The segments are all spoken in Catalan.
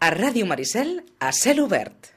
A Ràdio Maricel, a cel obert.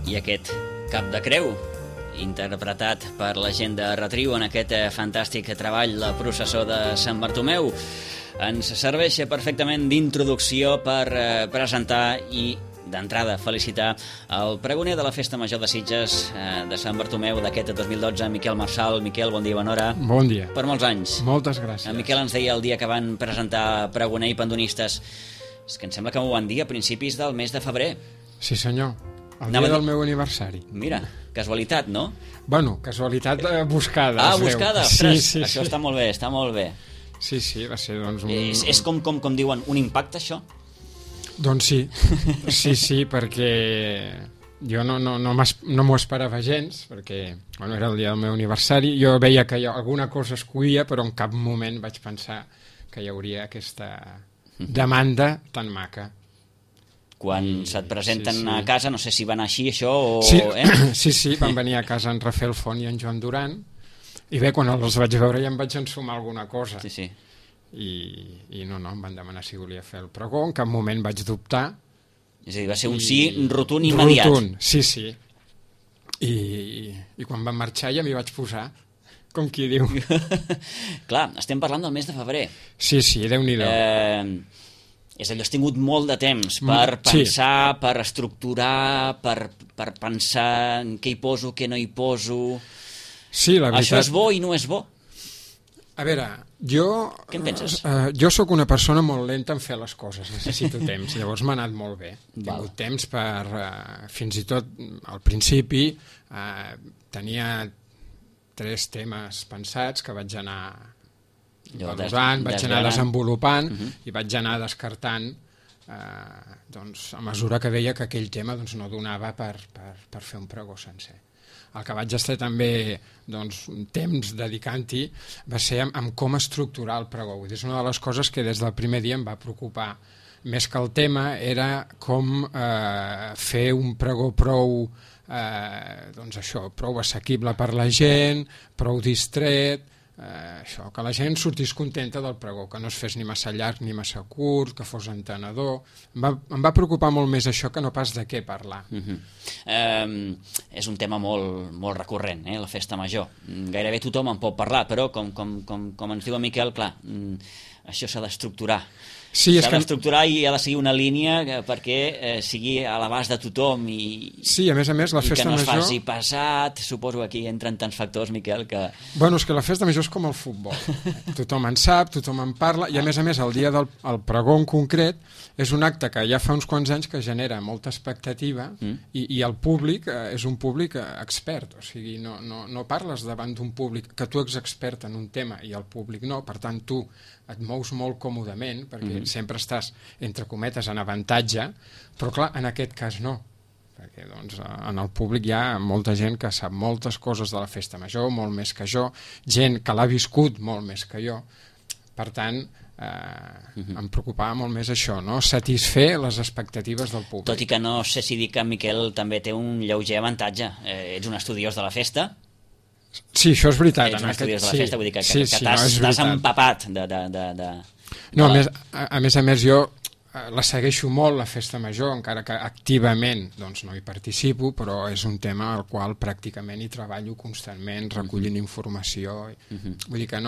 I aquest Cap de Creu, interpretat per la gent de Retriu en aquest fantàstic treball, La processó de Sant Bartomeu, ens serveix perfectament d'introducció per presentar i d'entrada felicitar el pregoner de la Festa Major de Sitges de Sant Bartomeu d'aquest 2012, Miquel Marçal. Miquel, bon dia, bona hora. Bon dia. Per molts anys. Moltes gràcies. En Miquel ens deia el dia que van presentar pregoner i pandonistes, és que em sembla que m'ho van dir a principis del mes de febrer. Sí, senyor. El dia del meu aniversari. Mira, casualitat, no? Bueno, casualitat buscada. Ah, buscada, ostres, sí, això està molt bé, està molt bé. Sí, va ser doncs És com diuen, un impacte, això? Doncs sí, perquè jo no m'ho esperava gens, perquè era el dia del meu aniversari, jo veia que alguna cosa es coïa, però en cap moment vaig pensar que hi hauria aquesta demanda tan maca. Quan se't presenten a casa, no sé si van així això o... Sí, van venir a casa en Rafael Font i en Joan Duran, i bé, quan els vaig veure ja em vaig ensumar alguna cosa. Sí. I no, em van demanar si volia fer el pregó, en cap moment vaig dubtar. És a dir, va ser un sí rotund immediat. Rotund, sí. I quan van marxar ja m'hi vaig posar, com qui diu. Clar, estem parlant del mes de febrer. Sí, Déu-n'hi-do. És a dir, has tingut molt de temps per pensar, per estructurar, per pensar en què hi poso, què no hi poso... Sí, la veritat... Això és bo i no és bo? A veure, jo... Què en penses? Jo sóc una persona molt lenta en fer les coses, necessito temps, llavors m'ha anat molt bé. He tingut temps per, fins i tot al principi, tenia 3 temes pensats que vaig anar valorant, vaig anar desenvolupant i vaig anar descartant a mesura que veia que aquell tema no donava per fer un pregó sencer. El que vaig estar també un temps dedicant-hi va ser amb com estructurar el pregó. És una de les coses que des del primer dia em va preocupar. Més que el tema era com fer un pregó prou assequible per la gent, prou distret, que la gent sortís contenta del pregó, que no es fes ni massa llarg ni massa curt, que fos entenedor. Em va preocupar molt més això que no pas de què parlar. És un tema molt recurrent, la festa major. Gairebé tothom en pot parlar, però com ens diu en Miquel, clar, això s'ha d'estructurar. S'ha d'estructurar i ha de seguir una línia perquè sigui a l'abast de tothom i a més la festa major... I que no es faci passat. Suposo que aquí entren tants factors, Miquel, que... Bueno, és que la festa major és com el futbol. Tothom en sap, tothom en parla, i a més el dia del pregó en concret és un acte que ja fa uns quants anys que genera molta expectativa i el públic és un públic expert, o sigui, no parles davant d'un públic que tu ets expert en un tema i el públic no, per tant tu et mous molt còmodament perquè sempre estàs, entre cometes, en avantatge, però clar, en aquest cas no, perquè en el públic hi ha molta gent que sap moltes coses de la festa major, molt més que jo, gent que l'ha viscut molt més que jo, per tant em preocupava molt més això, no? Satisfer les expectatives del públic. Tot i que no sé si dic que en Miquel també té un lleuger avantatge, ets un estudiós de la festa. Sí, això és veritat. Ets un estudiós de la festa, vull dir que t'has empapat de... No, a més jo la segueixo molt, la festa major, encara que activament no hi participo, però és un tema al qual pràcticament hi treballo constantment, recollint informació. Vull dir que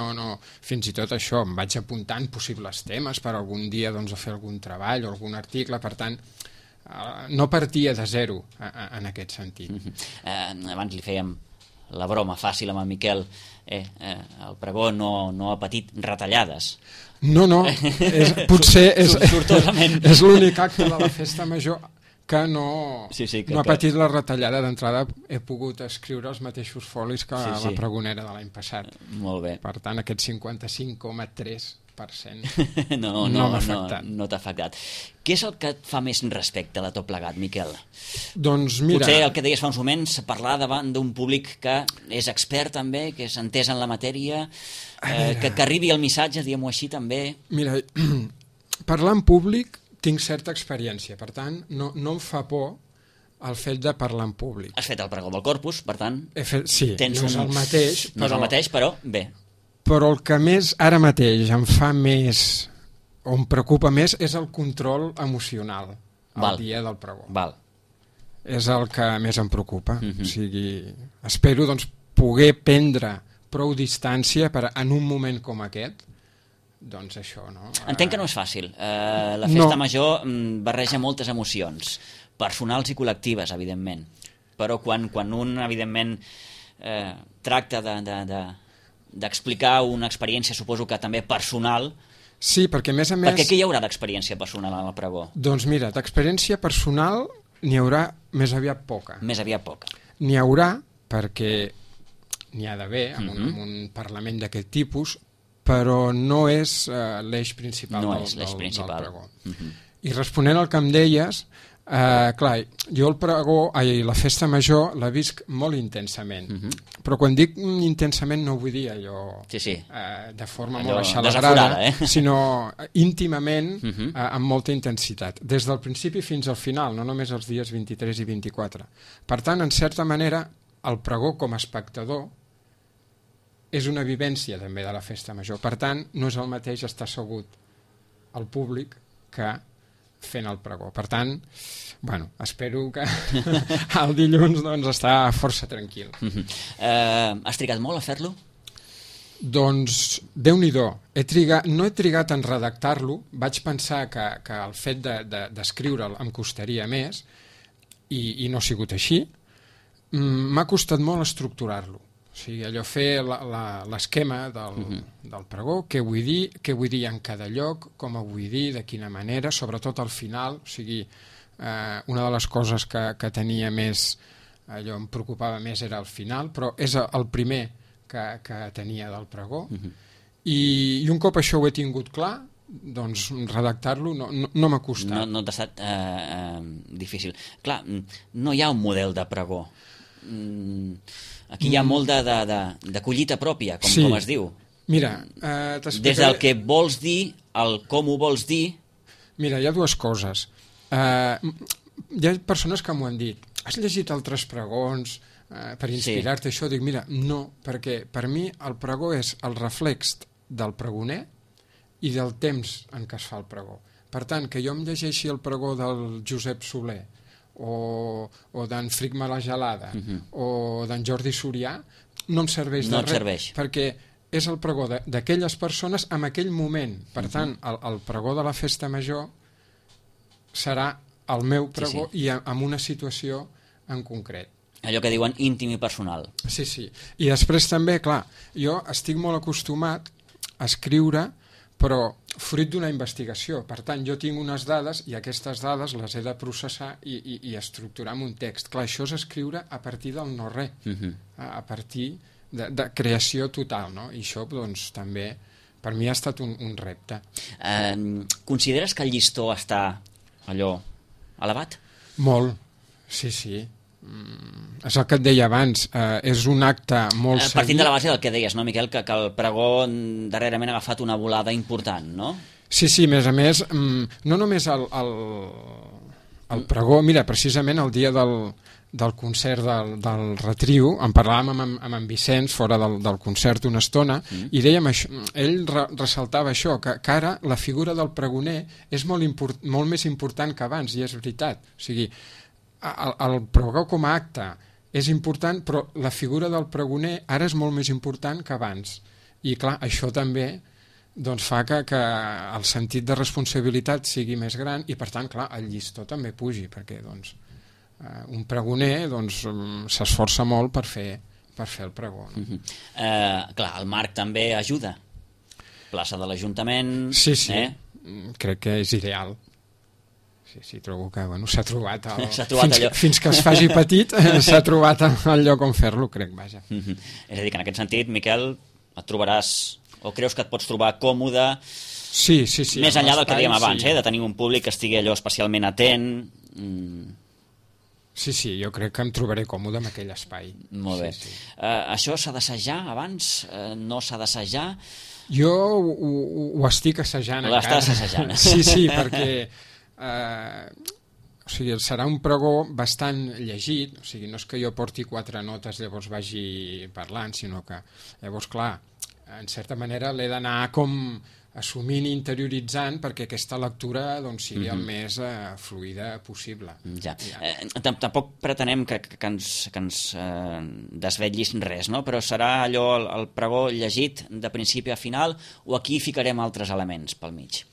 fins i tot això, em vaig apuntant possibles temes per algun dia a fer algun treball o algun article, per tant, no partia de zero en aquest sentit. Abans li fèiem la broma fàcil amb en Miquel, el pregó no ha patit retallades. No, potser Sortosament. és l'únic acte de la festa major que no ha patit la retallada. D'entrada he pogut escriure els mateixos folis que la pregonera de l'any passat. Molt bé. Per tant, aquest 55,3% no m'ha afectat. No t'ha afectat. Què és el que et fa més respecte de tot plegat, Miquel? Doncs mira... Potser el que deies fa uns moments, parlar davant d'un públic que és expert també, que és entès en la matèria, que arribi el missatge, diguem-ho així, també. Mira, parlar en públic tinc certa experiència, per tant, no em fa por el fet de parlar en públic. Has fet el pregó del Corpus, per tant... Sí, no és el mateix. No és el mateix, però bé. Però el que més ara mateix em fa més, o em preocupa més, és el control emocional el dia del pregó. És el que més em preocupa. O sigui, espero doncs, poder prendre prou distància per, en un moment com aquest, doncs això, no? Entenc que no és fàcil. La festa major barreja moltes emocions, personals i col·lectives, evidentment. Però quan un, evidentment, tracta d'explicar una experiència, suposo que també personal... Sí, perquè a més... Perquè què hi haurà d'experiència personal en el pregó? Doncs mira, d'experiència personal n'hi haurà més aviat poca. Més aviat poca. N'hi haurà perquè n'hi ha d'haver en un Parlament d'aquest tipus, però no és l'eix principal del pregó. I responent al que em deies, clar, jo la festa major la visc molt intensament, però quan dic intensament no vull dir allò de forma molt aixalagrada, sinó íntimament, amb molta intensitat, des del principi fins al final, no només els dies 23 i 24. Per tant, en certa manera, el pregó com a espectador és una vivència també de la festa major. Per tant, no és el mateix estar assegut al públic que fent el pregó. Per tant, bueno, espero que el dilluns doncs, estar força tranquil. Has trigat molt a fer-lo? Doncs, Déu-n'hi-do. No he trigat en redactar-lo. Vaig pensar que el fet d'escriure'l em costaria més i no ha sigut així. M'ha costat molt estructurar-lo. O sigui, allò fer l'esquema del pregó, què vull dir en cada lloc, com ho vull dir, de quina manera, sobretot al final. O sigui, una de les coses que tenia més, allò em preocupava més era el final, però és el primer que tenia del pregó. I un cop això ho he tingut clar, doncs redactar-lo no m'ha costat. No t'ha estat difícil. Clar, no hi ha un model de pregó. Aquí hi ha molt de collita pròpia, com es diu. Mira, des del que vols dir, al com ho vols dir... Mira, hi ha dues coses. Hi ha persones que m'ho han dit. Has llegit altres pregons per inspirar-te això? Dic, mira, no, perquè per mi el pregó és el reflex del pregoner i del temps en què es fa el pregó. Per tant, que jo em llegeixi el pregó del Josep Soler o d'en Frigma la Gelada o d'en Jordi Surià no em serveix de res, perquè és el pregó d'aquelles persones en aquell moment. Per tant, el pregó de la festa major serà el meu pregó i en una situació en concret. Allò que diuen íntim i personal. Sí. I després també, clar, jo estic molt acostumat a escriure, però fruit d'una investigació. Per tant, jo tinc unes dades i aquestes dades les he de processar i estructurar en un text. Clar, això és escriure a partir del no-res, a partir de creació total, no? I això, doncs, també, per mi ha estat un repte. Consideres que el llistó està, allò, elevat? Molt, sí. És el que et deia abans, és un acte molt seguit. Partint de la base del que deies, no, Miquel, que el pregó darrerament ha agafat una volada important, no? Sí, a més, no només el pregó, mira, precisament el dia del concert del Retriu, en parlàvem amb en Vicenç fora del concert una estona, i dèiem això, ell ressaltava això, que ara la figura del pregoner és molt més important que abans, i és veritat. O sigui, el pregó com a acte és important, però la figura del pregoner ara és molt més important que abans. I clar, això també doncs, fa que el sentit de responsabilitat sigui més gran i per tant, clar, el llistó també pugi, perquè doncs, un pregoner doncs, s'esforça molt per fer fer el pregó. No? Clar, el Marc també ajuda. Plaça de l'Ajuntament... Sí, crec que és ideal. Sí, trobo que s'ha trobat, fins que es faci petit s'ha trobat el lloc on fer-lo, crec, vaja. És a dir, que en aquest sentit, Miquel, et trobaràs, o creus que et pots trobar còmode, sí, més enllà del que dèiem abans, de tenir un públic que estigui allò especialment atent... Sí, jo crec que em trobaré còmode en aquell espai. Molt bé. Això s'ha d'assajar abans? No s'ha d'assajar? Jo ho estic assajant encara. L'estàs assajant. Sí, perquè serà un pregó bastant llegit, o sigui, no és que jo porti 4 notes llavors vagi parlant, sinó que llavors, clar, en certa manera l'he d'anar com assumint i interioritzant perquè aquesta lectura sigui el més fluida possible. Ja. Tampoc pretenem que ens desvetllis res, no? Però serà allò el pregó llegit de principi a final o aquí ficarem altres elements pel mig?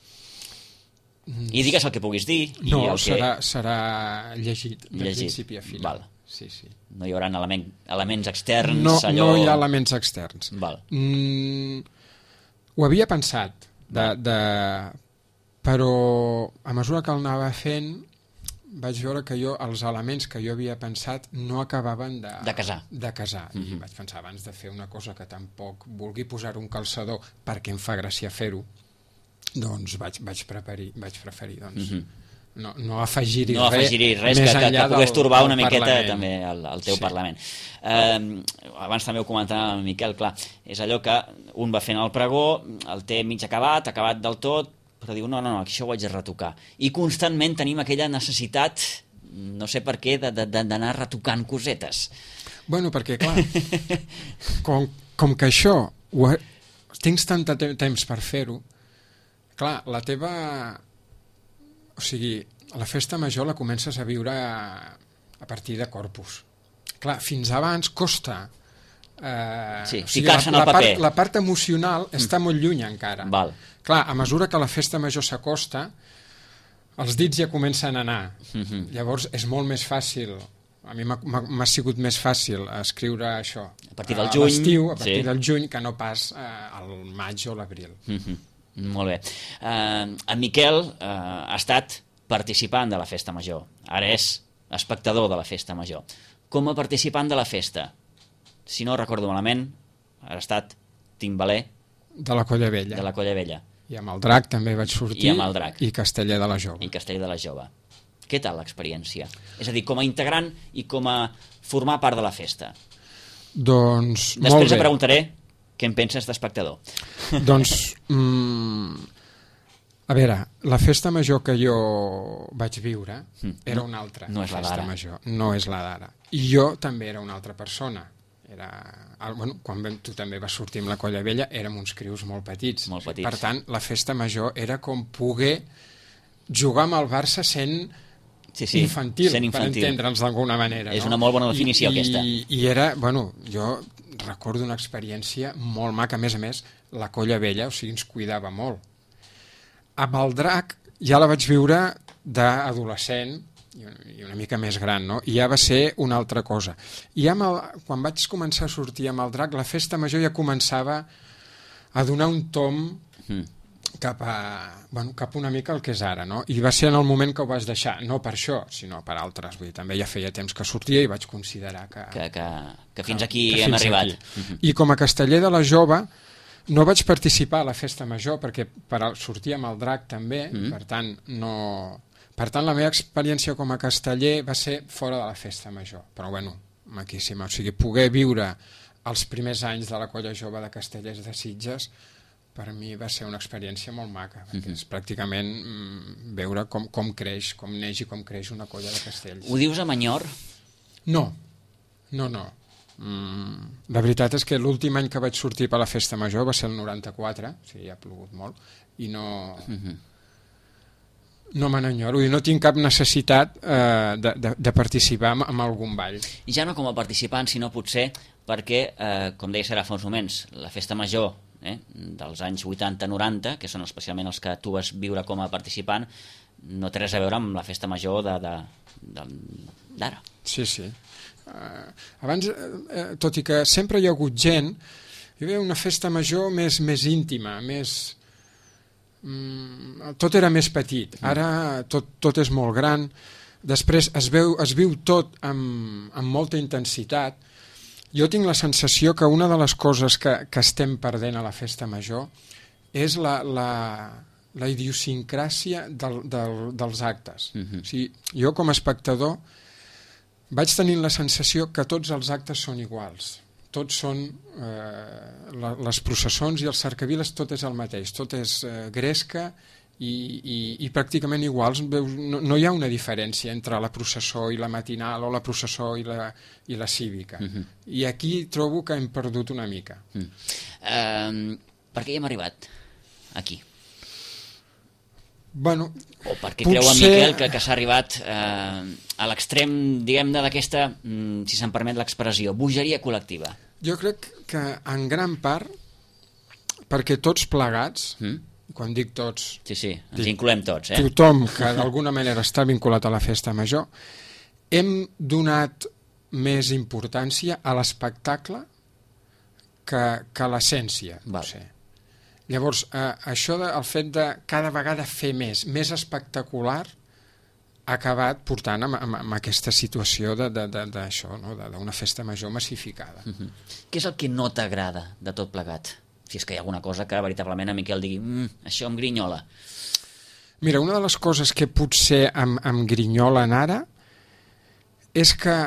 I digues el que puguis dir. No, serà llegit de principi a final. Sí. No hi haurà elements externs? No hi ha elements externs. Val. Ho havia pensat, però a mesura que el anava fent vaig veure que els elements que jo havia pensat no acabaven de casar. I vaig pensar, abans de fer una cosa que tampoc vulgui posar un calçador perquè em fa gràcia fer-ho, doncs vaig preferir no afegir-hi res que pogués torbar una miqueta també al teu Parlament. Abans també ho comentava Miquel, clar, és allò que un va fent el pregó, el té mig acabat del tot, però diu, no, això ho haig de retocar. I constantment tenim aquella necessitat, no sé per què, d'anar retocant cosetes. Bueno, perquè, clar, com que això tinc tant temps per fer-ho, clar, la teva... O sigui, la festa major la comences a viure a partir de Corpus. Clar, fins abans costa... ficar-se en el paper. La part emocional està molt lluny encara. Val. Clar, a mesura que la festa major s'acosta, els dits ja comencen a anar. Llavors és molt més fàcil... A mi m'ha sigut més fàcil escriure això a partir del juny, l'estiu, a partir del juny, que no pas al maig o l'abril. Molt bé. En Miquel ha estat participant de la festa major. Ara és espectador de la festa major. Com a participant de la festa, si no recordo malament, ha estat timbaler de la Colla Vella. De la Colla Vella. I amb el Drac també vaig sortir. I amb el Drac. I Casteller de la Jove. I Casteller de la Jove. Què tal l'experiència? És a dir, com a integrant i com a formar part de la festa. Doncs molt bé. Després et preguntaré què en penses d'espectador. Doncs, a veure, la festa major que jo vaig viure era una altra festa major. No és la d'ara. I jo també era una altra persona. Quan tu també vas sortir amb la Colla Vella érem uns crios molt petits. Per tant, la festa major era com poder jugar amb el Barça sent infantil, per entendre'ns d'alguna manera. És una molt bona definició aquesta. I era, jo recordo una experiència molt maca, a més, la Colla Vella, o sigui, ens cuidava molt. Amb el Drac ja la vaig viure d'adolescent i una mica més gran, no? I ja va ser una altra cosa. I quan vaig començar a sortir amb el Drac, la festa major ja començava a donar un tom cap una mica el que és ara, no? I va ser en el moment que ho vas deixar, no per això, sinó per altres. Vull dir, també ja feia temps que sortia i vaig considerar que fins aquí hem arribat. I com a Casteller de la Jove no vaig participar a la festa major perquè sortia amb el Drac també, per tant la meva experiència com a casteller va ser fora de la festa major, però maquíssima, o sigui, poder viure els primers anys de la Colla Jove de Castellers de Sitges per mi va ser una experiència molt maca, perquè és pràcticament veure com creix, com neix i com creix una colla de castells. Ho dius a Manyor? No. La veritat és que l'últim any que vaig sortir per la festa major va ser el 94, o sigui, ha plogut molt, i no me n'enyoro, i no tinc cap necessitat de participar en algun ball. I ja no com a participant, sinó potser perquè, com deies ara fa uns moments, la festa major dels anys 80-90, que són especialment els que tu vas viure com a participant, no té res a veure amb la festa major d'ara. Sí. Abans, tot i que sempre hi ha hagut gent, hi havia una festa major més íntima, tot era més petit. Ara tot és molt gran. Després es viu tot amb molta intensitat. Jo tinc la sensació que una de les coses que estem perdent a la festa major és la idiosincràsia dels actes. O sigui, jo com a espectador vaig tenint la sensació que tots els actes són iguals. Tots són les processons i els cercaviles, tot és el mateix, tot és gresca i pràcticament iguals. No hi ha una diferència entre la processó i la matinal o la processó i la cívica. I aquí trobo que hem perdut una mica. Per què hi hem arribat aquí? Bueno, o perquè creu en Miquel que s'ha arribat a l'extrem, diguem-ne, d'aquesta, si se'm permet l'expressió, bogeria col·lectiva? Jo crec que en gran part perquè tots plegats, quan dic tots... Sí, ens incloem tots. Tothom que d'alguna manera està vinculat a la festa major, hem donat més importància a l'espectacle que a l'essència. Llavors, el fet de cada vegada fer més espectacular, ha acabat portant amb aquesta situació d'això, d'una festa major massificada. Què és el que no t'agrada de tot plegat? Si és que hi ha alguna cosa que veritablement a Miquel digui això em grinyola. Mira, una de les coses que potser em grinyolen ara és que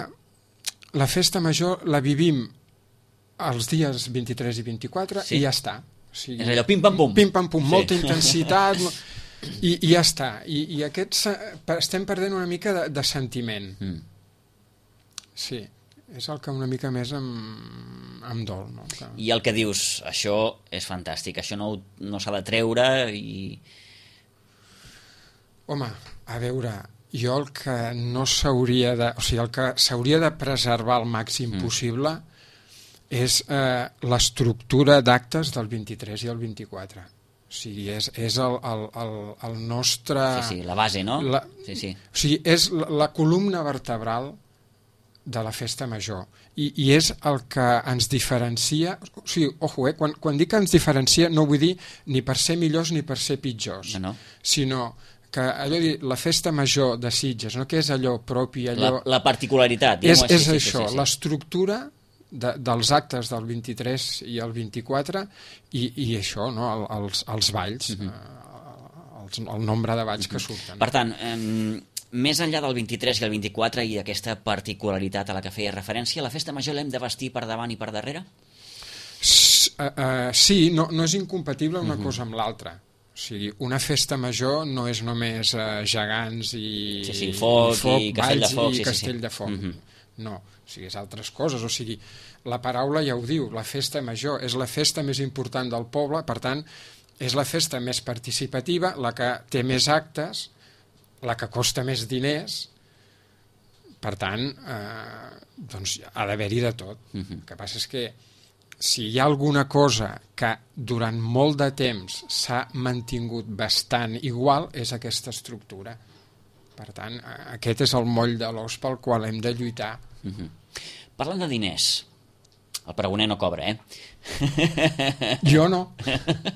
la festa major la vivim els dies 23 i 24 i ja està. És allò pim-pam-pum. Pim-pam-pum, molta intensitat i ja està. I estem perdent una mica de sentiment. Sí, és el que una mica més em dol. I el que dius, això és fantàstic, això no s'ha de treure i... Home, a veure, jo el que no s'hauria de... O sigui, el que s'hauria de preservar al màxim possible és l'estructura d'actes del 23 i el 24. O sigui, és el nostre... Sí, la base, no? O sigui, és la columna vertebral de la festa major i és el que ens diferencia. O sigui, quan dic que ens diferencia no vull dir ni per ser millors ni per ser pitjors, sinó que la festa major de Sitges, que és allò propi, la particularitat, és això, l'estructura dels actes del 23 i el 24 i això, els balls, el nombre de balls que surten. Per tant, més enllà del 23 i el 24 i d'aquesta particularitat a la que feia referència, la festa major l'hem de vestir per davant i per darrere? Sí, no és incompatible una cosa amb l'altra. O sigui, una festa major no és només gegants i foc, i castell de foc. No, o sigui, és altres coses. O sigui, la paraula ja ho diu, la festa major és la festa més important del poble, per tant, és la festa més participativa, la que té més actes, la que costa més diners, per tant, doncs ha d'haver-hi de tot. El que passa és que si hi ha alguna cosa que durant molt de temps s'ha mantingut bastant igual, és aquesta estructura. Per tant, aquest és el moll de l'os pel qual hem de lluitar. Parlant de diners, el pregoner no cobra, Jo no.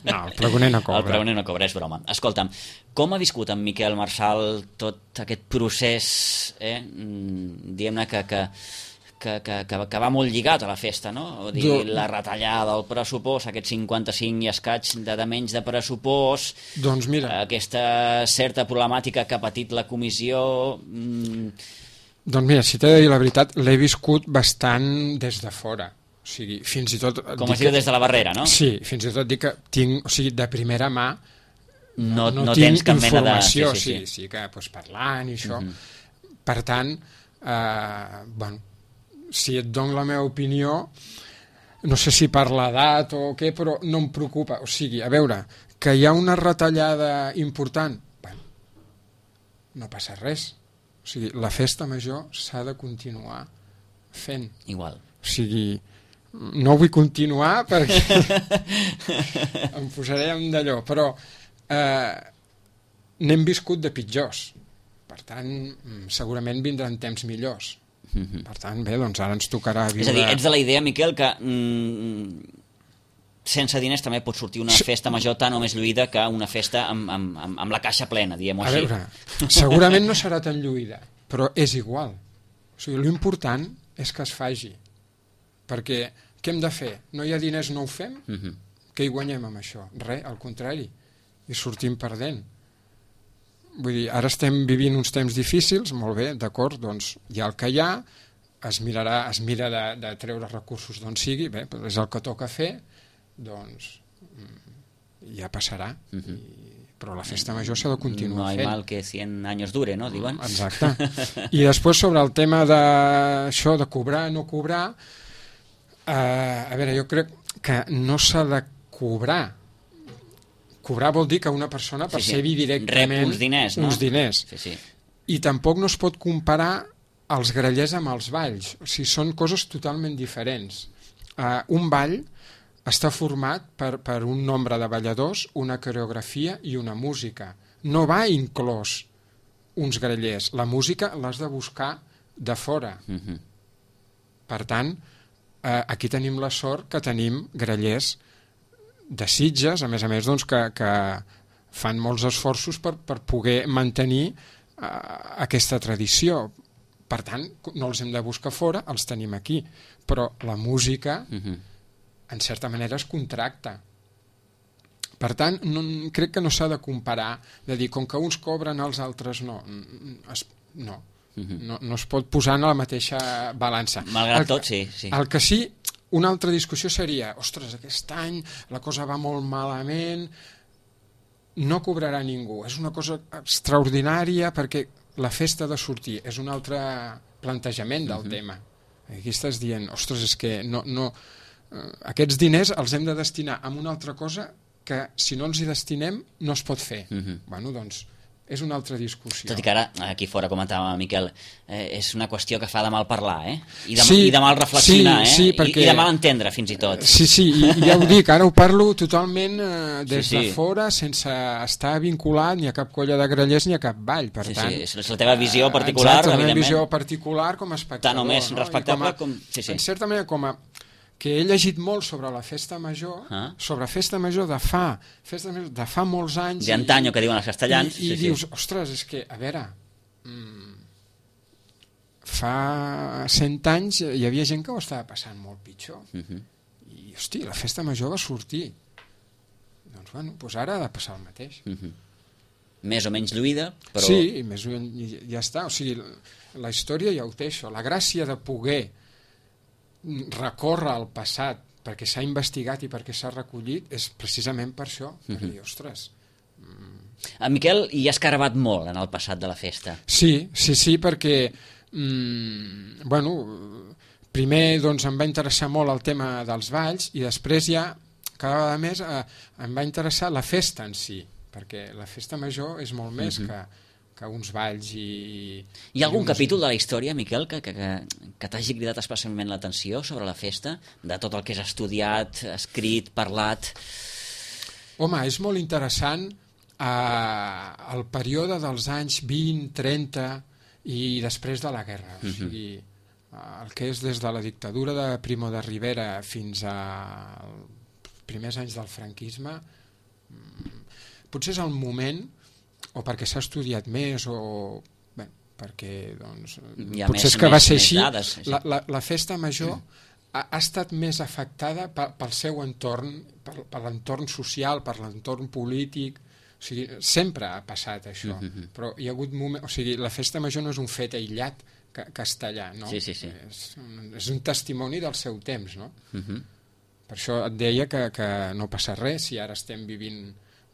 No, el pregoner no cobra. El pregoner no cobra, és broma. Escolta'm, com ha viscut en Miquel Marçal tot aquest procés, diguem-ne que va molt lligat a la festa, no? La retallada del pressupost, aquest 55 i escaig de menys de pressupost, doncs mira, aquesta certa problemàtica que ha patit la comissió... Doncs mira, si t'he de dir la veritat, l'he viscut bastant des de fora. O sigui, fins i tot... Com es diu des de la barrera, no? Sí, fins i tot dic que tinc, o sigui, de primera mà no tinc tens cap informació, mena de... Sí, que parlant i això. Per tant, bueno, si et dono la meva opinió, no sé si per l'edat o què, però no em preocupa. O sigui, a veure, que hi ha una retallada important, bueno, no passa res. O sigui, la festa major s'ha de continuar fent. Igual. O sigui, no vull continuar perquè em posaré amb d'allò, però n'hem viscut de pitjors. Per tant, segurament vindran temps millors. Per tant, bé, doncs ara ens tocarà viure... És a dir, ets de la idea, Miquel, que sense diners també pot sortir una festa major tan o més lluïda que una festa amb la caixa plena, diguem-ho així. A veure, segurament no serà tan lluïda, però és igual. O sigui, l'important és que es faci. Perquè què hem de fer? No hi ha diners, no ho fem? Què hi guanyem amb això? Res, al contrari. I sortim perdent. Vull dir, ara estem vivint uns temps difícils, molt bé, d'acord, doncs hi ha el que hi ha, es mira de treure recursos d'on sigui, bé, és el que toca fer, doncs ja passarà. Però la festa major s'ha de continuar fent. No hay mal que 100 años dure, no? Diuen. Exacte. I després sobre el tema d'això, de cobrar, no cobrar, a veure, jo crec que no s'ha de cobrar. Cobrar vol dir que una persona percebi directament rep uns diners, no? Uns diners. Sí. I tampoc no es pot comparar els grallers amb els balls. O sigui, són coses totalment diferents. Un ball està format per un nombre de balladors, una coreografia i una música. No va inclòs uns grallers. La música l'has de buscar de fora. Per tant, aquí tenim la sort que tenim grallers de Sitges, a més, doncs, que fan molts esforços per poder mantenir aquesta tradició. Per tant, no els hem de buscar fora, els tenim aquí. Però la música, en certa manera, es contracta. Per tant, crec que no s'ha de comparar, de dir, com que uns cobren, els altres no. No es pot posar en la mateixa balança. Malgrat tot, sí. El que sí, una altra discussió seria, ostres, aquest any la cosa va molt malament, no cobrarà ningú. És una cosa extraordinària perquè la festa de sortir és un altre plantejament del tema. Aquí estàs dient, ostres, és que aquests diners els hem de destinar a una altra cosa que si no els hi destinem no es pot fer. Bueno, doncs és una altra discussió. Tot i que ara, aquí fora comentava Miquel, és una qüestió que fa de mal parlar, I de mal reflexionar, i de mal entendre, fins i tot. Sí, i ja ho dic, ara ho parlo totalment des de fora, sense estar vinculat ni a cap colla de grallers ni a cap ball, per tant... És la teva visió particular, exacte, evidentment. La meva visió particular com a espectador. Tant o més respectable com... En certa manera, com a que he llegit molt sobre la festa major, sobre festa major de fa molts anys... D'antanyo, que diuen els castellans. I dius, ostres, és que, a veure, fa 100 anys hi havia gent que ho estava passant molt pitjor. I, hosti, la festa major va sortir. Doncs, bueno, doncs ara ha de passar el mateix. Més o menys lluïda, però... Sí, més o menys, ja està. O sigui, la història ja ho té, això. La gràcia de poder recórrer al passat perquè s'ha investigat i perquè s'ha recollit és precisament per això, per dir, ostres... En Miquel hi ha escarabat molt en el passat de la festa. Sí, perquè bueno, primer doncs em va interessar molt el tema dels balls i després ja cada vegada més em va interessar la festa en si, perquè la festa major és molt més que uns balls i... Hi ha algun capítol de la història, Miquel, que t'hagi cridat especialment l'atenció sobre la festa, de tot el que has estudiat, escrit, parlat? Home, és molt interessant el període dels anys 20, 30 i després de la guerra. O sigui, el que és des de la dictadura de Primo de Rivera fins als primers anys del franquisme, potser és el moment, o perquè s'ha estudiat més, o bé, perquè doncs, potser és que va ser així, la festa major ha estat més afectada pel seu entorn, per l'entorn social, per l'entorn polític. O sigui, sempre ha passat això, però hi ha hagut moments... O sigui, la festa major no és un fet aïllat castellà, no? Sí. És un testimoni del seu temps, no? Per això et deia que no passa res si ara estem vivint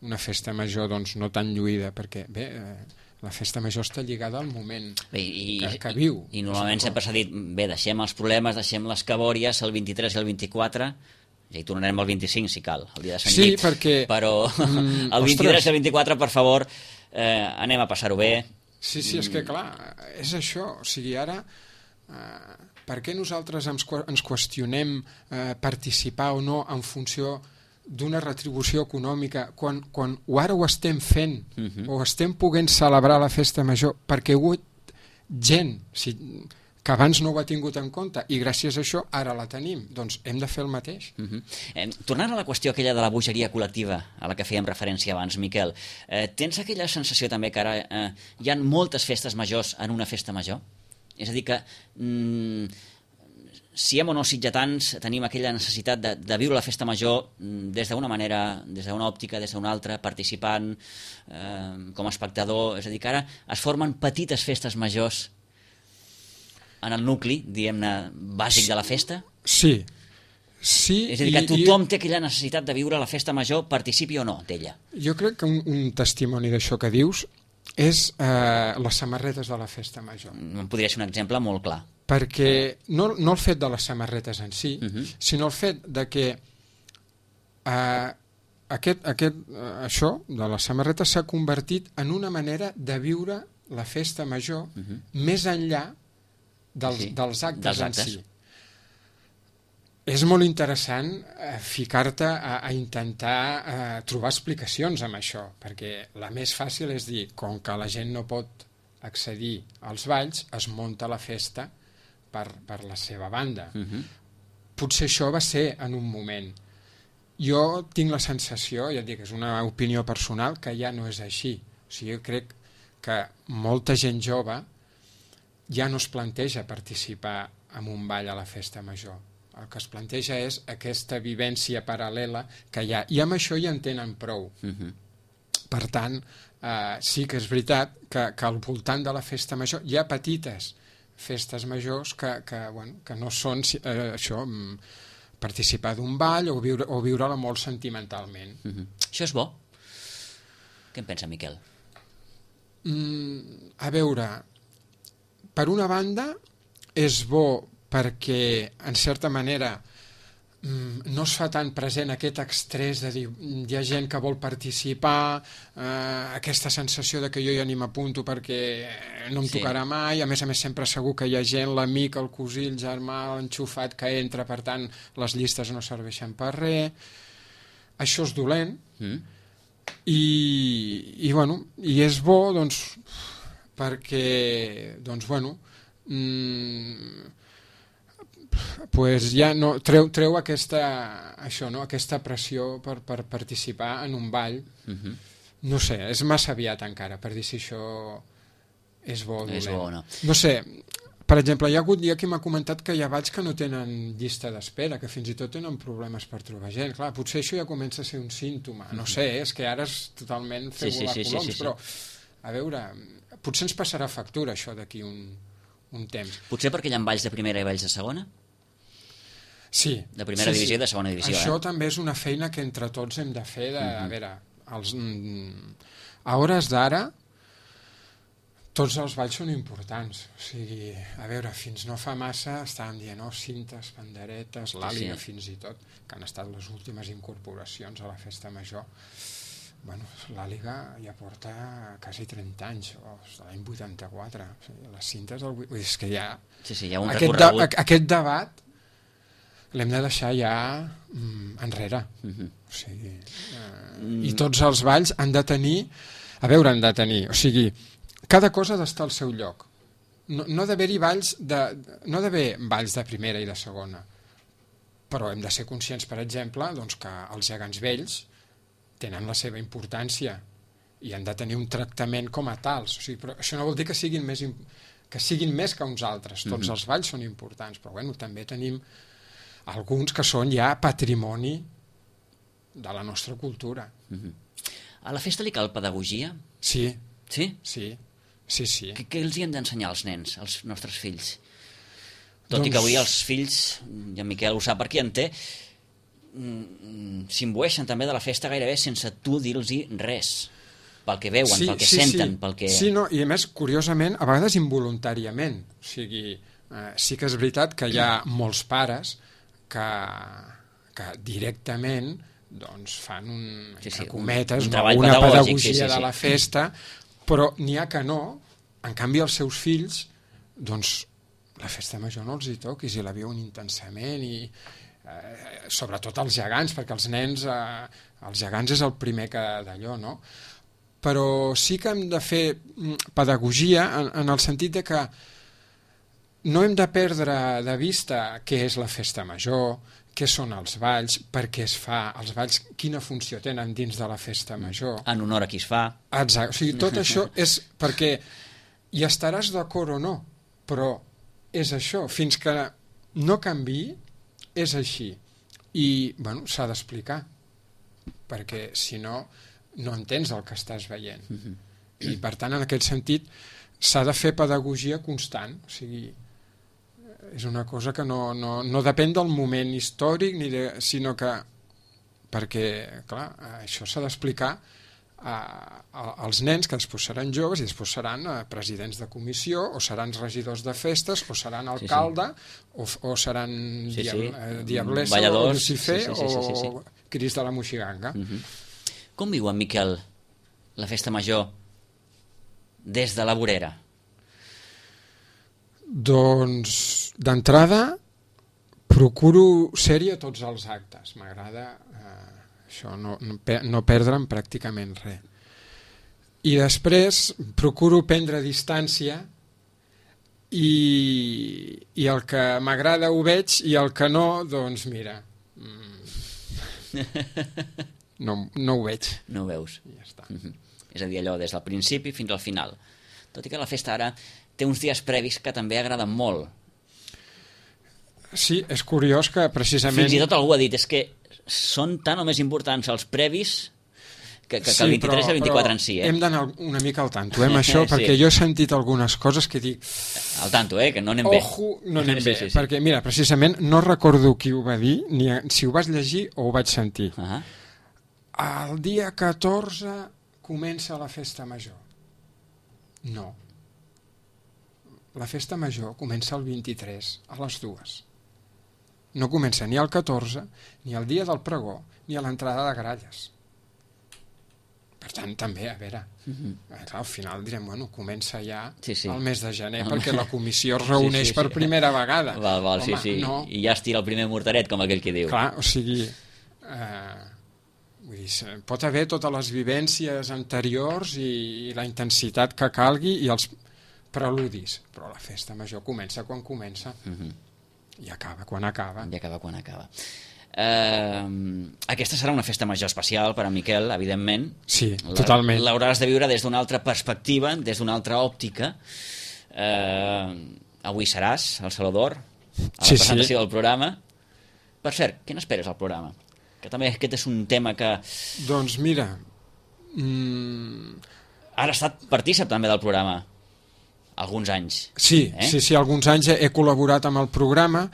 una festa major doncs, no tan lluïda, perquè bé, la festa major està lligada al moment que viu. I normalment sempre s'ha dit, bé, deixem els problemes, deixem les cabòries el 23 i el 24, ja hi tornarem el 25 si cal, el dia de Sant Llit, però el 23 i el 24, per favor, anem a passar-ho bé. Sí, és que clar, és això, o sigui, ara... Per què nosaltres ens qüestionem participar o no en funció d'una retribució econòmica quan ara ho estem fent o estem poguent celebrar la festa major perquè hi ha hagut gent que abans no ho ha tingut en compte i gràcies a això ara la tenim, doncs hem de fer el mateix. Tornant a la qüestió aquella de la bogeria col·lectiva a la que fèiem referència abans, Miquel, tens aquella sensació també que ara hi ha moltes festes majors en una festa major? És a dir que siguem o no sitgetans, tenim aquella necessitat de viure la festa major des d'una manera, des d'una òptica, des d'una altra, participant com a espectador, és a dir que ara es formen petites festes majors en el nucli, diguem-ne, bàsic de la festa? Sí. És a dir, que tothom té aquella necessitat de viure la festa major, participi o no d'ella. Jo crec que un testimoni d'això que dius és les samarretes de la festa major. Em podria ser un exemple molt clar. Perquè no el fet de les samarretes en si, sinó el fet de que això de les samarretes s'ha convertit en una manera de viure la festa major més enllà dels actes en si. És molt interessant ficar-te a intentar trobar explicacions amb això, perquè la més fàcil és dir, com que la gent no pot accedir als balls, es munta la festa per la seva banda. Potser això va ser en un moment. Jo tinc la sensació, ja et dic, és una opinió personal, que ja no és així. O sigui, jo crec que molta gent jove ja no es planteja participar en un ball a la festa major. El que es planteja és aquesta vivència paral·lela que hi ha. I amb això ja en tenen prou. Per tant, sí que és veritat que al voltant de la festa major hi ha petites festes majors que no són això, participar d'un ball o viure-la molt sentimentalment. Això és bo? Què en pensa, Miquel? A veure, per una banda és bo perquè en certa manera no es fa tan present aquest estrès de dir hi ha gent que vol participar, aquesta sensació de que jo ja ni m'apunto perquè no em tocarà mai, a més sempre segur que hi ha gent, l'amic, el cosí, el germà, l'enxufat que entra, per tant les llistes no serveixen per res. Això és dolent i és bo doncs perquè pues ja no, treu aquesta pressió per participar en un ball. No sé, és massa aviat encara per dir si això és bo o dolent. No sé, per exemple, hi ha hagut qui m'ha comentat que hi ha balls que no tenen llista d'espera, que fins i tot tenen problemes per trobar gent. Clar, potser això ja comença a ser un símptoma. No sé, és que ara és totalment fer volar coloms, però a veure, potser ens passarà factura això d'aquí un temps. Potser perquè hi ha balls de primera i balls de segona? Sí. De primera divisió i de segona divisió. Això també és una feina que entre tots hem de fer a veure, a hores d'ara tots els balls són importants. O sigui, a veure, fins no fa massa estàvem dient, cintes, panderetes, l'àliga fins i tot, que han estat les últimes incorporacions a la festa major. Bueno, l'àliga ja porta quasi 30 anys, l'any 84. O sigui, les cintes és que ja... hi ha un recorregut. Aquest debat l'hem de deixar ja enrere. O sigui, i tots els balls han de tenir... o sigui, cada cosa ha d'estar al seu lloc. No d'haver-hi balls no d'haver balls de primera i de segona, però hem de ser conscients, per exemple, doncs, que els gegants vells tenen la seva importància i han de tenir un tractament com a tals. O sigui, però això no vol dir que siguin més que uns altres. Tots els balls són importants, però també tenim alguns que són ja patrimoni de la nostra cultura. A la festa li cal pedagogia? Sí. Sí? Sí. Què els hi hem d'ensenyar als nens, als nostres fills? Tot i que avui els fills, i en Miquel ho sap per qui en té, s'imbueixen també de la festa gairebé sense tu dir-los-hi res, pel que veuen, pel que senten, pel que... Sí, i a més, curiosament, a vegades involuntàriament. O sigui, sí que és veritat que hi ha molts pares que directament doncs, fan una pedagogia de la festa, però n'hi ha que no. En canvi, els seus fills, doncs, la festa major no els hi toquis i la viuen intensament i sobretot els gegants, perquè els nens, els gegants és el primer que d'allò, no? Però sí que hem de fer pedagogia en el sentit de que no hem de perdre de vista què és la festa major, què són els balls, per què es fa, els balls, quina funció tenen dins de la festa major. En honor a qui es fa. Exacte, o sigui, tot això és perquè hi estaràs d'acord o no, però és això, fins que no canviï, és així. I, bueno, s'ha d'explicar, perquè si no, no entens el que estàs veient. I, per tant, en aquest sentit, s'ha de fer pedagogia constant, o sigui, és una cosa que no depèn del moment històric, sinó que, perquè, clar, això s'ha d'explicar als nens que després seran joves i després seran presidents de comissió o seran regidors de festes o seran alcalde o seran diablessa o Lucifer o Cris de la Moixiganga. Com viu en Miquel la festa major des de la vorera? Doncs, d'entrada, procuro ser-hi a tots els actes. M'agrada això, no perdre'm pràcticament res. I després procuro prendre distància i el que m'agrada ho veig i el que no, doncs mira, no ho veig. No ho veus. I ja està. És a dir, allò des del principi fins al final. Tot i que la festa ara té uns dies previs que també agraden molt. Sí, és curiós que precisament... Fins i tot algú ha dit, és que són tan o més importants els previs que el 23 i el 24 en si. Hem d'anar una mica al tanto, amb això, perquè jo he sentit algunes coses que dic... Al tanto, que no anem bé. Ojo, no anem bé, perquè, mira, precisament no recordo qui ho va dir, ni si ho vaig llegir o ho vaig sentir. El dia 14 comença la festa major. No. La festa major comença el 23, a les 2. No comença ni el 14, ni el dia del pregó, ni a l'entrada de gralles. Per tant, també, a veure, al final direm, bueno, comença ja el mes de gener, perquè la comissió es reuneix per primera vegada. Val, home, sí. No. I ja es tira el primer mortaret, com aquell que diu. Clar, o sigui... vull dir, pot haver totes les vivències anteriors i la intensitat que calgui i els preludis, però la festa major comença quan comença i acaba quan acaba. I acaba quan acaba. Aquesta serà una festa major especial per a Miquel, evidentment. Sí, totalment. L'hauràs de viure des d'una altra perspectiva, des d'una altra òptica. Avui seràs al Saló d'Or, a la presentació del programa. Per cert, què n'esperes al programa? Que també aquest és un tema que... Doncs mira... Ara has estat partícip també del programa. Alguns anys. Sí, alguns anys he col·laborat amb el programa.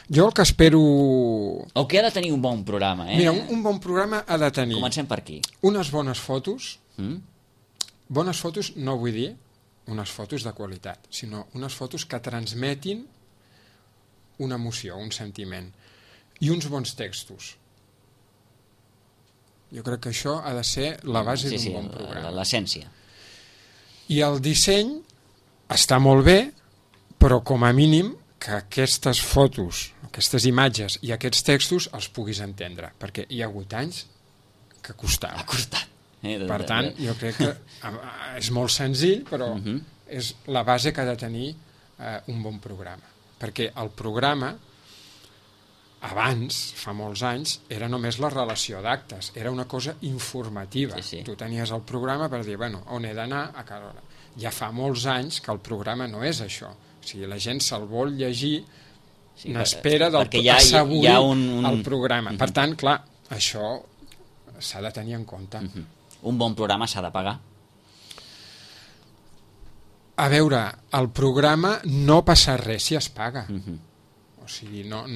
Jo el que espero... O que ha de tenir un bon programa, Mira, un bon programa ha de tenir... Comencem per aquí. Unes bones fotos. Bones fotos no vull dir unes fotos de qualitat, sinó unes fotos que transmetin una emoció, un sentiment. I uns bons textos. Jo crec que això ha de ser la base d'un bon programa. L'essència. I el disseny està molt bé, però com a mínim que aquestes fotos, aquestes imatges i aquests textos els puguis entendre, perquè hi ha hagut anys que costava. Ha costat. Per tant, jo crec que és molt senzill, però és la base que ha de tenir un bon programa. Perquè el programa, abans, fa molts anys, era només la relació d'actes, era una cosa informativa. Tu tenies el programa per dir, bueno, on he d'anar, a cada hora. Ja fa molts anys que el programa no és això. O sigui, la gent se'l vol llegir, n'espera assaborir el programa. Per tant, clar, això s'ha de tenir en compte. Un bon programa s'ha de pagar? A veure, el programa no passa res si es paga. O sigui, no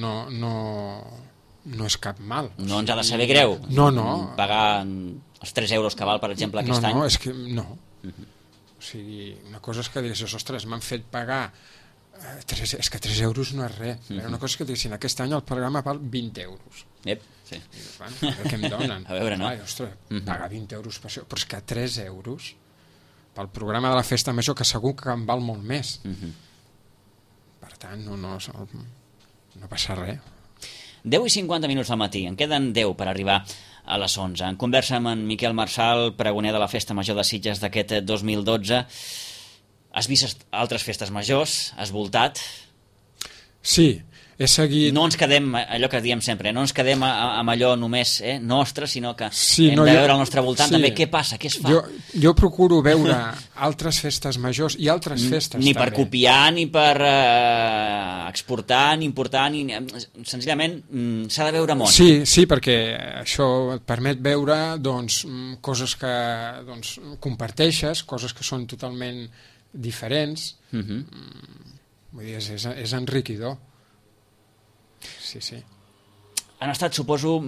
és cap mal. No ens ha de saber greu? No. Pagar els 3 euros que val, per exemple, aquest any? No, és que no. O sigui, una cosa és que diguessis, ostres, m'han fet pagar 3, és que 3 euros no és res. Una cosa és que diguessin, aquest any el programa val 20 euros. Sí. Bueno, què em donen? A veure, no? Ostres, pagar 20 euros per això, però és que 3 euros pel programa de la festa major, que segur que en val molt més. Per tant, no passa res. 10 i 50 minuts al matí, en queden 10 per arribar a les 11. En conversa amb en Miquel Marçal, pregoner de la Festa Major de Sitges d'aquest 2012. Has vist altres festes majors? Has voltat? Sí, he seguit... No ens quedem, allò que diem sempre, no ens quedem amb allò només nostre, sinó que hem no, de veure al nostre voltant també què passa, què es fa. Jo procuro veure altres festes majors i altres festes ni també. Per copiar, ni per exportar, ni importar, senzillament s'ha de veure món. Sí, perquè això et permet veure doncs, coses que doncs, comparteixes, coses que són totalment diferents. Vull dir, és enriquidor. Sí. Han estat, suposo,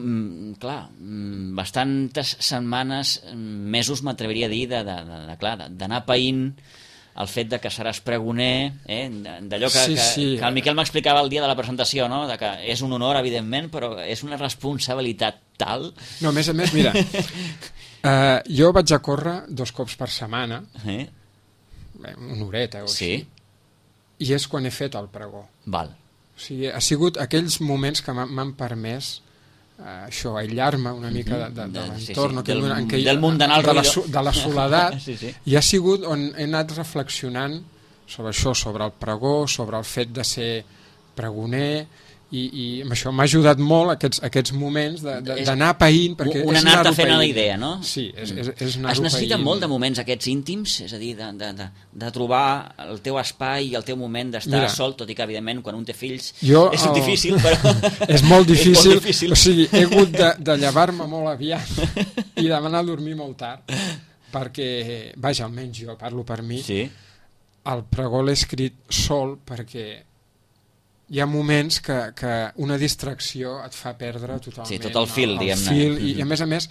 bastantes setmanes, mesos, m'atreviria a dir, d'anar païnt el fet de que seràs pregoner, d'allò que el Miquel m'explicava el dia de la presentació, no? De que és un honor, evidentment, però és una responsabilitat tal... No, a més, mira, jo vaig a córrer 2 cops per setmana, una horeta o així, i és quan he fet el pregó. Val. O sigui, ha sigut aquells moments que m'han permès aïllar-me una mica de l'entorn, del mundanal de la soledat, i ha sigut on he anat reflexionant sobre això, sobre el pregó, sobre el fet de ser pregoner, i amb això m'ha ajudat molt aquests moments d'anar païnt, perquè un anar-te fent a la idea, no? Sí, és anar-ho païnt. Es necessita molt de moments aquests íntims, és a dir, de trobar el teu espai i el teu moment d'estar sol, tot i que evidentment quan un té fills és difícil, però... És molt difícil, o sigui, he hagut de llevar-me molt aviat i demanar a dormir molt tard, perquè, vaja, almenys jo parlo per mi, el pregó l'he escrit sol perquè hi ha moments que una distracció et fa perdre totalment tot el fil, diguem-ne. I a més,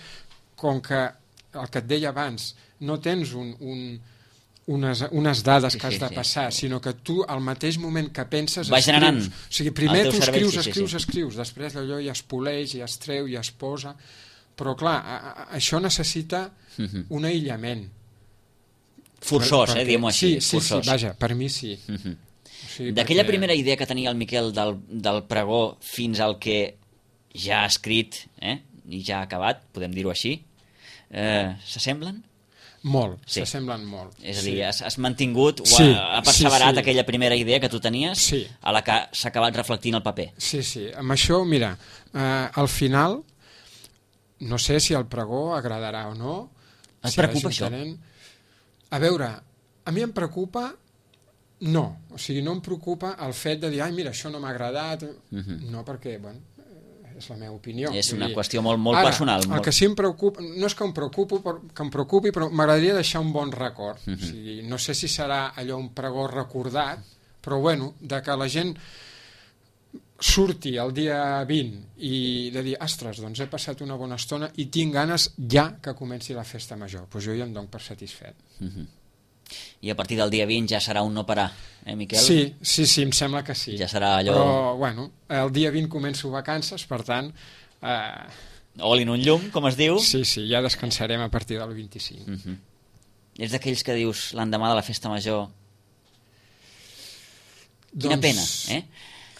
com que el que et deia abans, no tens unes dades que has de passar, sinó que tu al mateix moment que penses escrius. O sigui, primer tu escrius, després allò ja es poleix, ja es treu, ja es posa, però clar, això necessita un aïllament. Forçós, diguem-ho així. Sí, vaja, per mi sí. D'aquella primera idea que tenia el Miquel del pregó fins al que ja ha escrit i ja ha acabat, podem dir-ho així, s'assemblen? Molt, s'assemblen molt. És a dir, has mantingut o ha perseverat aquella primera idea que tu tenies a la que s'ha acabat reflectint el paper. Sí, amb això, mira, al final, no sé si el pregó agradarà o no. Et preocupa això? A veure, a mi em preocupa... No, o sigui, no em preocupa el fet de dir, ai, mira, això no m'ha agradat, no, perquè, bueno, és la meva opinió. És una qüestió molt personal. El que sí em preocupa, no és que em preocupi, però m'agradaria deixar un bon record. O sigui, no sé si serà allò un pregó recordat, però, bueno, de que la gent surti el dia 20 i de dir, ostres, doncs he passat una bona estona i tinc ganes ja que comenci la festa major. Doncs jo ja em dono per satisfet. I a partir del dia 20 ja serà un no parar, Miquel? Sí, em sembla que sí. Ja serà allò... Però, bueno, el dia 20 començo vacances, per tant... Olin un llum, com es diu. Sí, ja descansarem a partir del 25. Ets d'aquells que dius l'endemà de la festa major... Quina pena,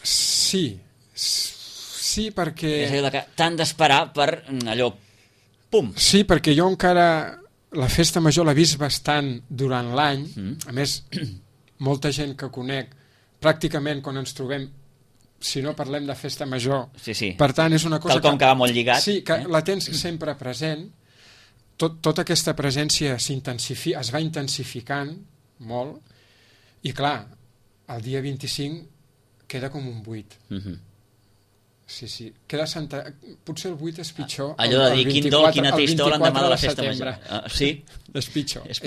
Sí, perquè... És allò que t'han d'esperar per allò... Pum! Sí, perquè jo encara... La festa major l'he vist bastant durant l'any, a més, molta gent que conec, pràcticament quan ens trobem, si no parlem de festa major, per tant és una cosa que va molt lligat. Sí, que la tens sempre present, tota aquesta presència es va intensificant molt, i clar, el dia 25 queda com un buit. Sí, queda potser el 8 és pitjor. Allò de dir quin dol, quina tristor l'endemà de la festa major. Sí? És pitjor. És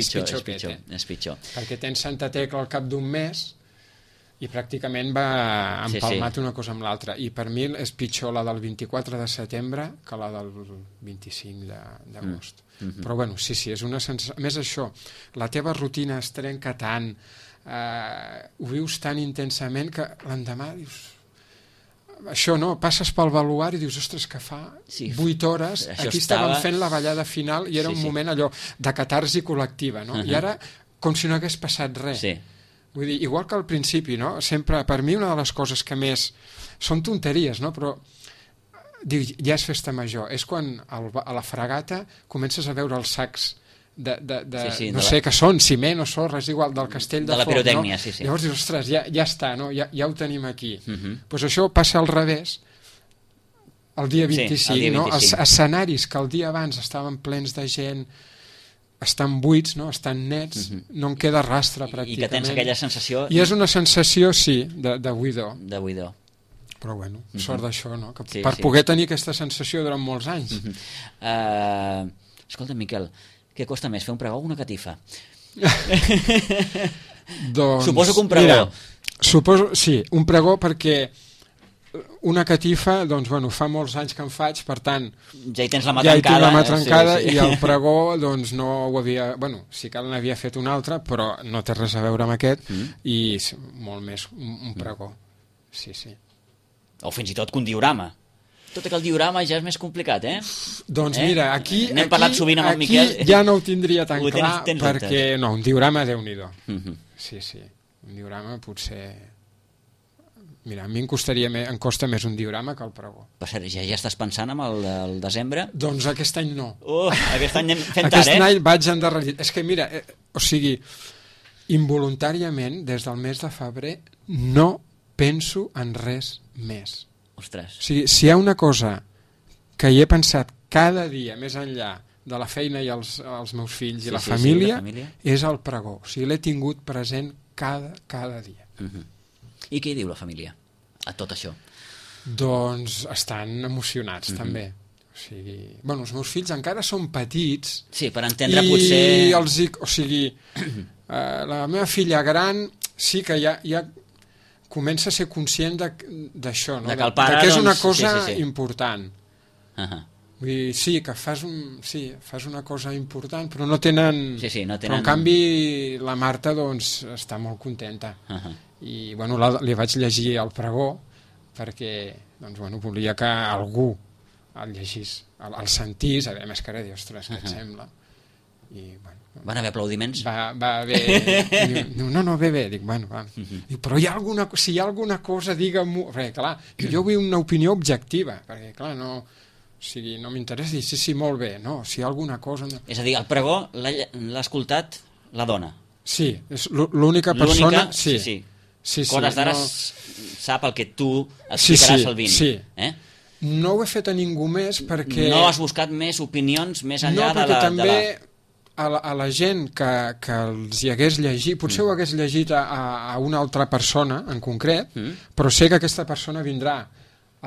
pitjor. Perquè tens Santa Tecla al cap d'un mes i pràcticament va empalmat una cosa amb l'altra. I per mi és pitjor la del 24 de setembre que la del 25 d'agost. Però bueno, sí, és una sensació. A més això, la teva rutina es trenca tant, ho vius tan intensament que l'endemà dius... Això, no? Passes pel baluar i dius, ostres, que fa 8 hores, aquí estàvem fent la ballada final i era un moment allò de catarsi col·lectiva, no? I ara, com si no hagués passat res. Vull dir, igual que al principi, no? Sempre, per mi, una de les coses que més... Són tonteries, no? Però diu, ja és festa major. És quan a la fragata comences a veure els sacs no sé què són, ciment o sorra, és igual, del castell de foc. De la pirotècnia, no? Sí. Llavors dius, ostres, ja està, no? Ja ho tenim aquí. Doncs això passa al revés el dia 25, el dia 25. No? Els escenaris que el dia abans estaven plens de gent, estan buits, no? Estan nets, no en queda rastre pràcticament. I que tens aquella sensació... I és una sensació, sí, de buidor. De buidor. Però bueno, sort d'això, no? Que per poder tenir aquesta sensació durant molts anys. Escolta, Miquel, què costa més, fer un pregó o una catifa? Doncs, suposo que un pregó. Mira, sí, un pregó perquè una catifa, doncs, bueno, fa molts anys que en faig, per tant... Ja hi tens la mà trencada. Ja hi tinc la mà trencada, sí. I el pregó, doncs, no ho havia... Bueno, sí que n'havia fet un altre, però no té res a veure amb aquest, i molt més un pregó. Sí. O fins i tot que un diorama. Tot que el diorama ja és més complicat, Doncs mira, aquí parlat sovint amb el Miquel. Ja no ho tindria tan clar, tens perquè no, un diorama, Déu-n'hi-do. Sí, un diorama potser... Mira, a mi em costa més un diorama que el pregó. Per cert, ja estàs pensant en el desembre? Doncs aquest any no. Aquest any anem fent tard, Aquest any vaig endarrerit. És que mira, o sigui, involuntàriament, des del mes de febrer, no penso en res més. Ostres. O sigui, si hi ha una cosa que hi he pensat cada dia, més enllà de la feina i els meus fills i la família, és el pregó. O sigui, l'he tingut present cada dia. I què hi diu la família a tot això? Doncs estan emocionats, també. O sigui, bueno, els meus fills encara són petits. Sí, per entendre potser... O sigui, la meva filla gran sí que ja comença a ser conscient d'això, no? Que el pare, que és una cosa important. Vull dir, sí, que fas una cosa important, però no tenen... no tenen... Però en canvi la Marta doncs està molt contenta. I bueno, li vaig llegir el pregó perquè doncs, bueno, volia que algú el llegís, el sentís, a veure, més que ara dir, ostres, què et sembla? I bueno, van haver aplaudiments? Va haver... No, bé. Dic, bueno, va. Dic, però si hi ha alguna cosa, digue-m'ho. Perquè, clar, jo vull una opinió objectiva, perquè, clar, no... O sigui, no m'interessa dir, sí, molt bé, no, si hi ha alguna cosa... És a dir, el pregó l'ha escoltat la dona? Sí, és l'única persona... Sí. Hores d'ara sap el que tu explicaràs al 20. Sí. No ho he fet a ningú més perquè... No has buscat més opinions més enllà de la... No, perquè també a la gent que els hi hagués llegit, potser ho hagués llegit a una altra persona en concret, però sé que aquesta persona vindrà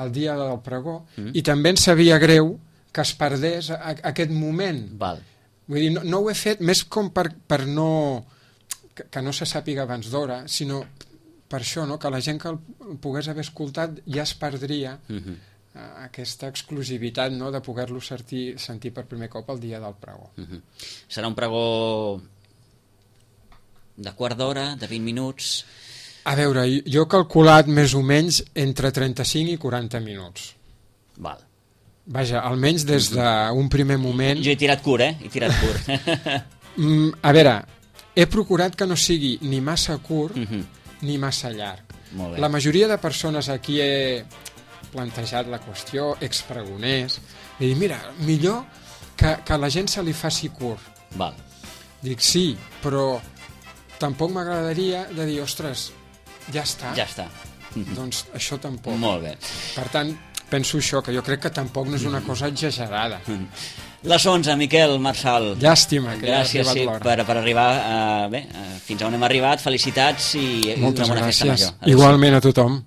el dia del pregó, i també em sabia greu que es perdés aquest moment. Vull dir, no ho he fet més com per no... que no se sàpiga abans d'hora, sinó per això, no? Que la gent que el pogués haver escoltat ja es perdria aquesta exclusivitat, no? De poder-lo sentir per primer cop el dia del pregó. Serà un pregó de quart d'hora, de 20 minuts... A veure, jo he calculat més o menys entre 35 i 40 minuts. Vaja, almenys des d'un primer moment... Jo he tirat curt, He tirat curt. A veure, he procurat que no sigui ni massa curt ni massa llarg. La majoria de persones aquí he plantejat la qüestió, expregoners, i dir, mira, millor que la gent se li faci curt. Dic, sí, però tampoc m'agradaria de dir, ostres, ja està. Doncs això tampoc. Molt bé. Per tant, penso això, que jo crec que tampoc no és una cosa exagerada. Les 11, Miquel Marçal. Llàstima que ja ha arribat l'hora. Per arribar fins a on hem arribat. Felicitats i una bona festa major. Igualment a tothom.